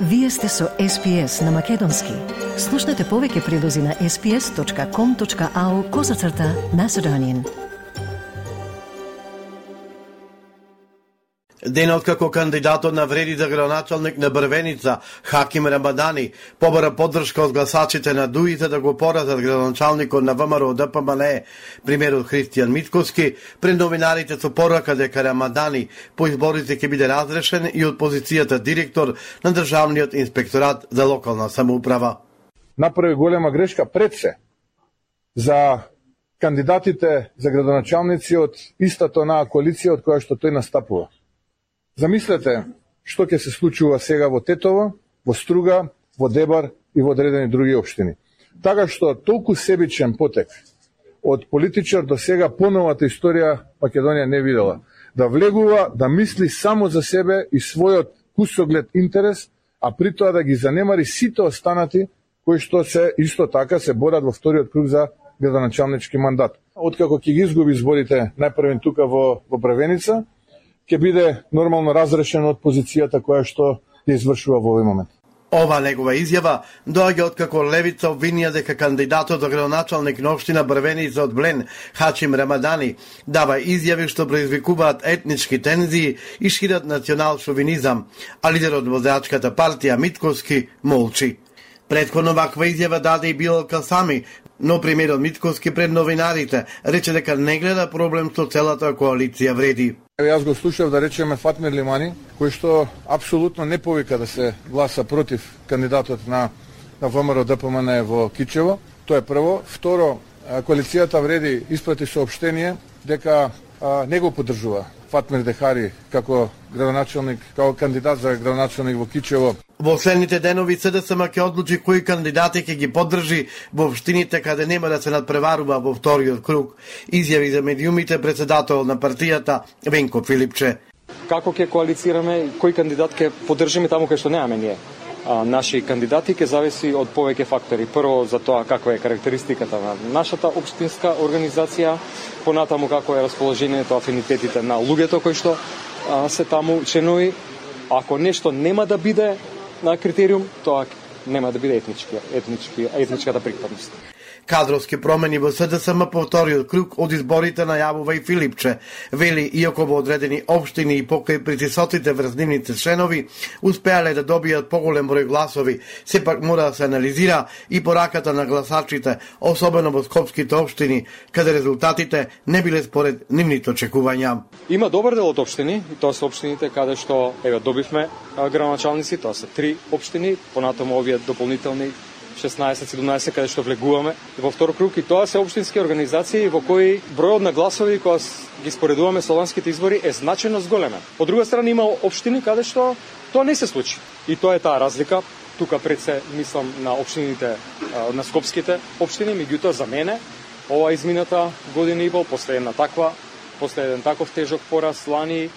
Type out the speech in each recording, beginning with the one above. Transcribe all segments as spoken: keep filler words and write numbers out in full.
Вие сте со Ес Пи Ес на Македонски. Слушнете повеќе прилози на ес пи ес точка ком точка ау козацрта Macedonian. Денот како кандидатот на вреди за градоначалник на Брвеница, Хаким Рамадани, побара поддршка од гласачите на ДУИ за да го поразат градоначалникот на ВМРО Д П М Н Е, премиерот Христијан Мицкоски, пред новинарите со порака дека Рамадани по изборите ќе биде разрешен и од позицијата директор на Државниот инспекторат за локална самоуправа. Направи голема грешка пред се за кандидатите за градоначалници од истата онаа коалиција од која што тој настапува. Замислете што ќе се случува сега во Тетово, во Струга, во Дебар и во одредени други општини. Така што толку себичен потек од политичар до сега поновата историја Македонија не видела. Да влегува, да мисли само за себе и својот кусоглед интерес, а при тоа да ги занемари сите останати кои што се исто така се борат во вториот круг за градоначалнички мандат. Откако ќе ги изгуби изборите најпрвен тука во, во Брвеница, ќе биде нормално разрешен од позицијата која што ја извршува во овој момент. Ова негова изјава доаѓа откако левица обвинија дека кандидатот за градоначалник на општина Брвеница од Блен, Хачим Рамадани, дава изјави што предизвикуваат етнички тензии и шират национал шовинизам, а лидерот во Возачката партија Митковски молчи. Претходно ваква изјава даде и Билал Касами, но премиерот Митковски пред новинарите рече дека не гледа проблем со целата коалиција вреди. Јас го слушав да речеме Фатмир Лимани, кој што апсолутно не повика да се гласа против кандидатот на, на ВМРО Д П М Н Е во Кичево. Тоа е прво. Второ, коалицијата вреди испрати соопштение дека а, не го поддржува Фатмир Дехари како градоначалник, како кандидат за градоначалник во Кичево. Во следните денови С Д С М ќе одлучи кои кандидати ќе ги поддржи во општините каде нема да се надпреварува во вториот круг. Изјави за медиумите председател на партијата Венко Филипче. Како ќе коалицираме, кој кандидат ќе поддржиме таму кај што немаме ние? А, наши кандидати ќе зависи од повеќе фактори. Прво за тоа каква е карактеристиката на нашата општинска организација, понатаму како е расположението, афинитетите на луѓето кои што а, се таму членови. Ако нешто нема да биде на критериум, тоа нема да биде етнички, етнички, етничката припадност. Кадровски промени во С Д С М по вториот круг од изборите најавува и Филипче. Вели, иако во одредени општини и покрај притисоците врз нивните членови успеале да добијат поголем број гласови, сепак мора да се анализира и пораката на гласачите, особено во скопските општини, каде резултатите не биле според нивните очекувања. Има добар дел од општини, и тоа се општините каде што еве добивме градоначалници, тоа се три општини, понатаму овие дополнителни шеснаесет седумнаесет каде што влегуваме во втор круг, и тоа се општински организации во кои бројот на гласови кога ги споредуваме со ланските избори е значајно зголемен. Од друга страна има општини каде што тоа не се случи. И тоа е таа разлика. Тука пред се мислам на општините, на скопските општини, меѓутоа за мене ова измината година и пол после една таква, после еден таков тежок пораз лани,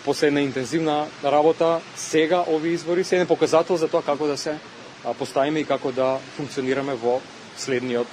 после една интензивна работа, сега овие избори се еден показател за тоа како да се поставиме и како да функционираме во следниот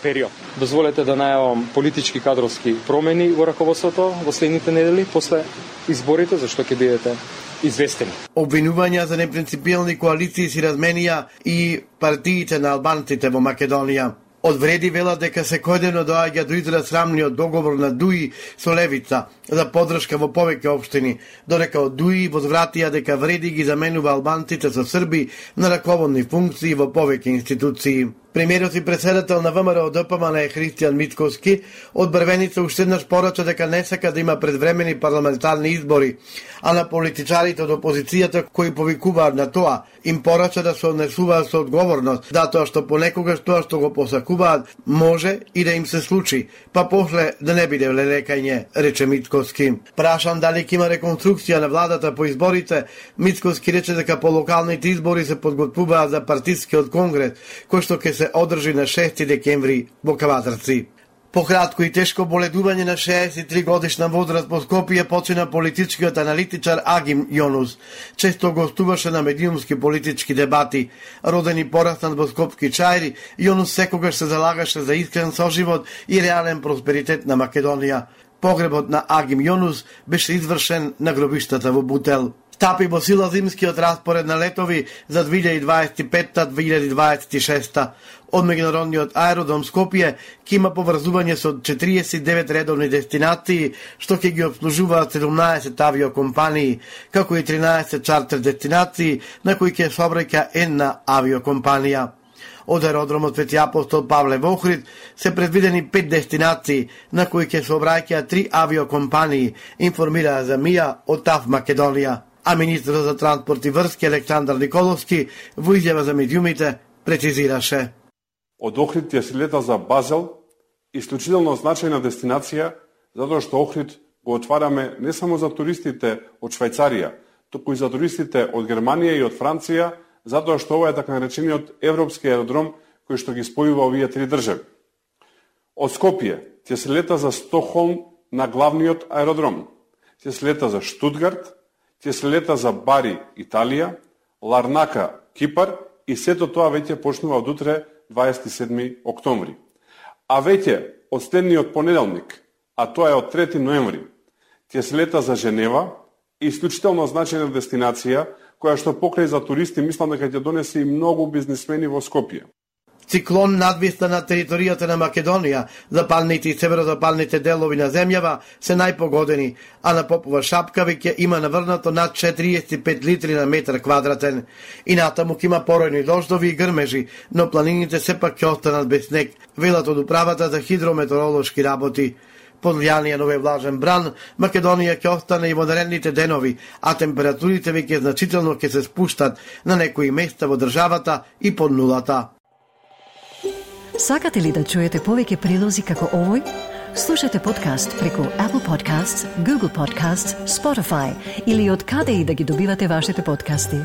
период. Дозволете да најавам политички кадровски промени во раководството во следните недели после изборите, зашто ќе бидете известени. Обвинувања за непринципиелни коалиции си разменија и партиите на албанците во Македонија. Од вреди велат дека секојдневно доаѓа до израз срамниот договор на ДУИ со левица за поддршка во повеќе општини, додека од ДУИ возвратија дека вреди ги заменува албанците со срби на раководни функции во повеќе институции. Премиерот и председател на ВМРО Д П М Н Е Христијан Мицкоски од Брвеница уште еднаш порача дека не сака да има предвремени парламентарни избори, а на политичарите од опозицијата кои повикуваат на тоа, им порача да се однесуваат со одговорност, затоа што понекогаш тоа што го посакуваат може и да им се случи, па после да не биде лелекање, рече Мицкоски. Прашан дали ќе има реконструкција на владата по изборите, Мицкоски рече дека по локалните избори се подготвуваат за партискиот конгрес, кој што ќе се одржи на шести декември во Кавадарци. По кратко и тешко боледување на шеесет и три годишна возраст во Скопје почина политичкиот аналитичар Агим Јонус. Често гостуваше на медиумски политички дебати. Роден и пораснат во скопски Чајри, Јонус секогаш се залагаше за искрен соживот и реален просперитет на Македонија. Погребот на Агим Јонус беше извршен на гробиштата во Бутел. Стапи во сила зимскиот распоред на летови за две илјади дваесет и петта - две илјади дваесет и шеста. Од меѓународниот аеродром Скопје ќе има поврзување со четириесет и девет редовни дестинации, што ќе ги обслужуваат седумнаесет авиокомпании, како и тринаесет чартер дестинации, на кои ќе сообраќа една авиокомпанија. Од аеродромот Свети апостол Павле во Охрид се предвидени пет дестинации, на кои ќе сообраќаат три авиокомпании, информираа за МИА од ТАВ Македонија. А министерот за транспорт и врски Александар Николовски во изјава за медиумите прецизираше: Од Охрид ќе се лета за Базел, исклучително значајна дестинација, затоа што Охрид го отвараме не само за туристите од Швајцарија, туку и за туристите од Германија и од Франција, затоа што ова е така наречениот европски аеродром кој што ги спојува овие три држави. Од Скопје ќе се лета за Стокхолм на главниот аеродром, ќе се лета за Штутгарт, ќе се лета за Бари, Италија, Ларнака, Кипар и сето тоа веќе почнува од утре, дваесет и седми октомври. А веќе од следниот понеделник, а тоа е од трети ноември, ќе се лета за Женева, исклучително значајна дестинација, која што покрај за туристи мислам дека ќе донесе и многу бизнисмени во Скопје. Циклон надвисна на територијата на Македонија, запалните и северозапалните делови на земјава се најпогодени, а на Попова шапка веќе има наврнато над четириесет и пет литри на метар квадратен. И натаму ќе има поројни дождови и грмежи, но планините сепак ќе останат без снег, велат од управата за хидрометеоролошки работи. Под влијание на овој влажен бран, Македонија ќе остане и во наредните денови, а температурите веќе значително ќе се спуштат на некои места во државата и под нулата. Сакате ли да чуете повеќе прилози како овој? Слушате подкаст преку Apple Podcasts, Google Podcasts, Spotify или од каде и да ги добивате вашите подкасти.